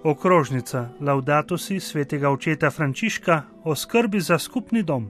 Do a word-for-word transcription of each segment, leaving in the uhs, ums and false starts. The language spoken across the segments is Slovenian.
Okrožnica Laudato si svetega očeta Frančiška o skrbi za skupni dom.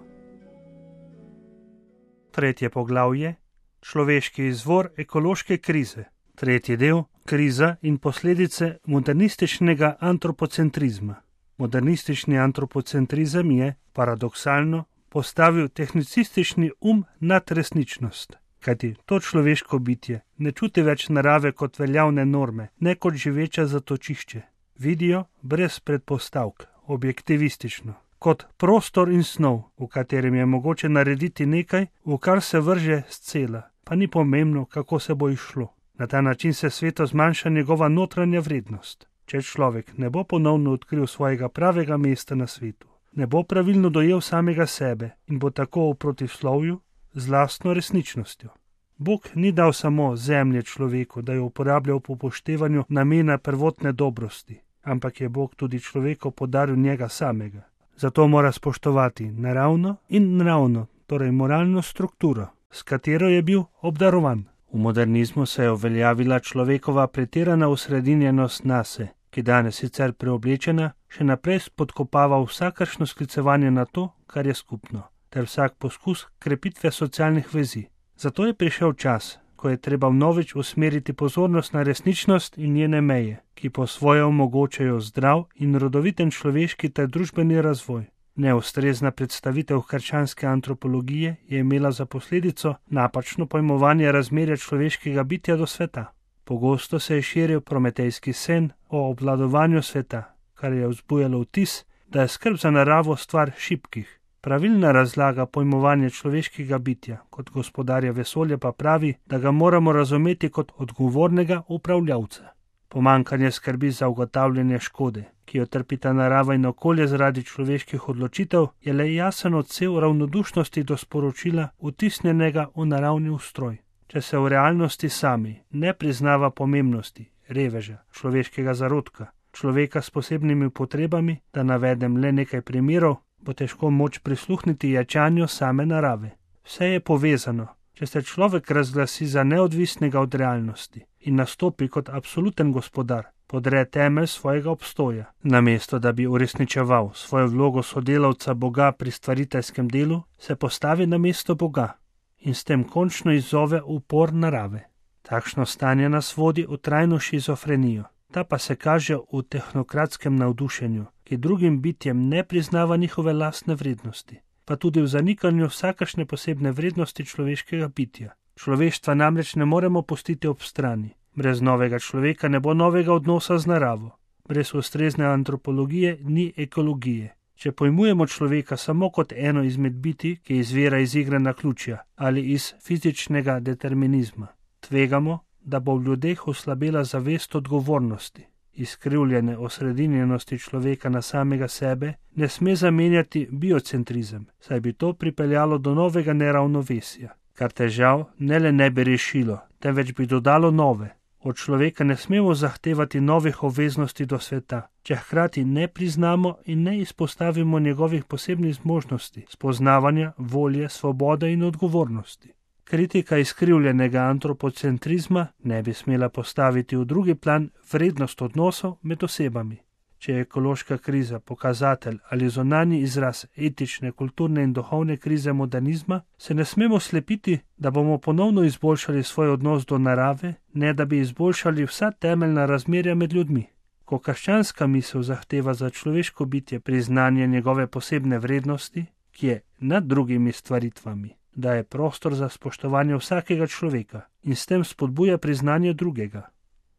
Tretje poglavje: človeški izvor ekološke krize. Tretji del: kriza in posledice modernističnega antropocentrizma. Modernistični antropocentrizem je, paradoksalno, postavil tehnicistični um nad resničnost. Kajti to človeško bitje ne čuti več narave kot veljavne norme, ne kot živeča zatočišče. Vidijo brez predpostavk, objektivistično, kot prostor in snov, v katerem je mogoče narediti nekaj, v kar se vrže scela, pa ni pomembno, kako se bo izšlo. Na ta način se svetu zmanjša njegova notranja vrednost. Če človek ne bo ponovno odkril svojega pravega mesta na svetu, ne bo pravilno dojel samega sebe in bo tako v protislovju z lastno resničnostjo. Bog ni dal samo zemlje človeku, da jo uporabljal po upoštevanju namena prvotne dobrosti, ampak je Bog tudi človeku podaril njega samega. Zato mora spoštovati naravno in nravno, torej moralno strukturo, s katero je bil obdarovan. V modernizmu se je uveljavila človekova pretirana osredinjenost nase, ki danes sicer preoblečena, še naprej spodkopava vsakršno sklicevanje na to, kar je skupno, ter vsak poskus krepitve socialnih vezi. Zato je prišel čas, ko je treba vnovič usmeriti pozornost na resničnost in njene meje, ki po svoje omogočajo zdrav in rodoviten človeški ter družbeni razvoj. Neustrezna predstavitev krščanske antropologije je imela za posledico napačno pojmovanje razmerja človeškega bitja do sveta. Pogosto se je širil prometejski sen o obvladovanju sveta, kar je vzbujalo vtis, da je skrb za naravo stvar šibkih. Pravilna razlaga pojmovanja človeškega bitja kot gospodarja vesolja pa pravi, da ga moramo razumeti kot odgovornega upravljavca. Pomanjkanje skrbi za ugotavljanje škode, ki jo trpita narava in okolje zaradi človeških odločitev, je le jasen odsev ravnodušnosti do sporočila vtisnjenega v naravni ustroj. Če se v realnosti sami ne priznava pomembnosti reveža, človeškega zarodka, človeka s posebnimi potrebami, da navedem le nekaj primerov, bo težko moč prisluhniti jačanju same narave. Vse je povezano. Če se človek razglasi za neodvisnega od realnosti in nastopi kot absoluten gospodar, podre temelj svojega obstoja. Namesto da bi uresničeval svojo vlogo sodelavca Boga pri stvariteljskem delu, se postavi na mesto Boga in s tem končno izzove upor narave. Takšno stanje nas vodi v trajno šizofrenijo. Ta pa se kaže v tehnokratskem navdušenju, ki drugim bitjem ne priznava njihove lastne vrednosti, pa tudi v zanikanju vsakršne posebne vrednosti človeškega bitja. Človeštva namreč ne moremo pustiti ob strani. Brez novega človeka ne bo novega odnosa z naravo. Brez ustrezne antropologije ni ekologije. Če pojmujemo človeka samo kot eno izmed bitij, ki izvira iz igre naključja ali iz fizičnega determinizma, tvegamo, da bo v ljudeh oslabela zavest odgovornosti. Izkrivljene osredinjenosti človeka na samega sebe ne sme zamenjati biocentrizem, saj bi to pripeljalo do novega neravnovesja, kar težav ne le ne bi rešilo, temveč bi dodalo nove. Od človeka ne smemo zahtevati novih obveznosti do sveta, če hkrati ne priznamo in ne izpostavimo njegovih posebnih zmožnosti, spoznavanja, volje, svobode in odgovornosti. Kritika izkrivljenega antropocentrizma ne bi smela postaviti v drugi plan vrednost odnosov med osebami. Če je ekološka kriza pokazatelj ali zunanji izraz etične, kulturne in duhovne krize modernizma, se ne smemo slepiti, da bomo ponovno izboljšali svoj odnos do narave, ne da bi izboljšali vsa temeljna razmerja med ljudmi. Ko krščanska misel zahteva za človeško bitje priznanje njegove posebne vrednosti, ki je nad drugimi stvaritvami, daje prostor za spoštovanje vsakega človeka in s tem spodbuja priznanje drugega.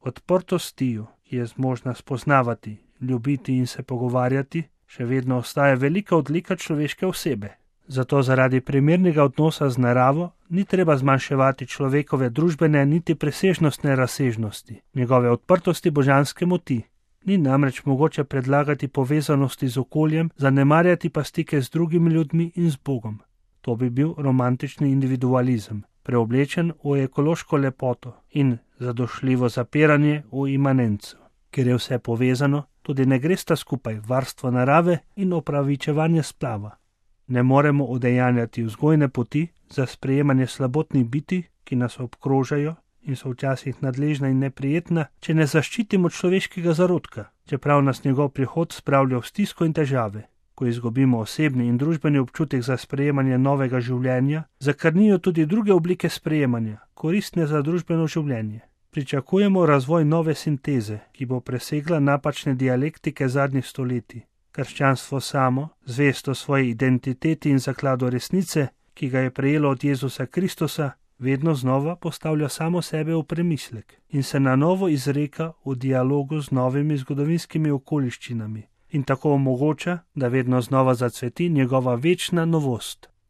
Odprtost tiju, ki je zmožna spoznavati, ljubiti in se pogovarjati, še vedno ostaja velika odlika človeške osebe. Zato zaradi primernega odnosa z naravo ni treba zmanjševati človekove družbene niti presežnostne razsežnosti, njegove odprtosti božanske moti. Ni namreč mogoče predlagati povezanosti z okoljem, zanemarjati pa stike z drugimi ljudmi in z Bogom. To bi bil romantični individualizem, preoblečen v ekološko lepoto in zadošljivo zapiranje v imanenco. Ker je vse povezano, tudi ne gresta skupaj varstvo narave in opravičevanje splava. Ne moremo udejanjati vzgojne poti za sprejemanje slabotnih bitij, ki nas obkrožajo in so včasih nadležna in neprijetna, če ne zaščitimo človeškega zarodka. čeprav nas njegov prihod spravlja v stisko in težave. Ko izgubimo osebni in družbeni občutek za sprejemanje novega življenja, zakrnijo tudi druge oblike sprejemanja, koristne za družbeno življenje. Pričakujemo razvoj nove sinteze, ki bo presegla napačne dialektike zadnjih stoletij. Krščanstvo samo, zvesto svoji identiteti in zakladu resnice, ki ga je prejelo od Jezusa Kristusa, vedno znova postavlja samo sebe v premislek in se na novo izreka v dialogu z novimi zgodovinskimi okoliščinami in tako omogoča, da vedno znova zacveti njegova večna novost.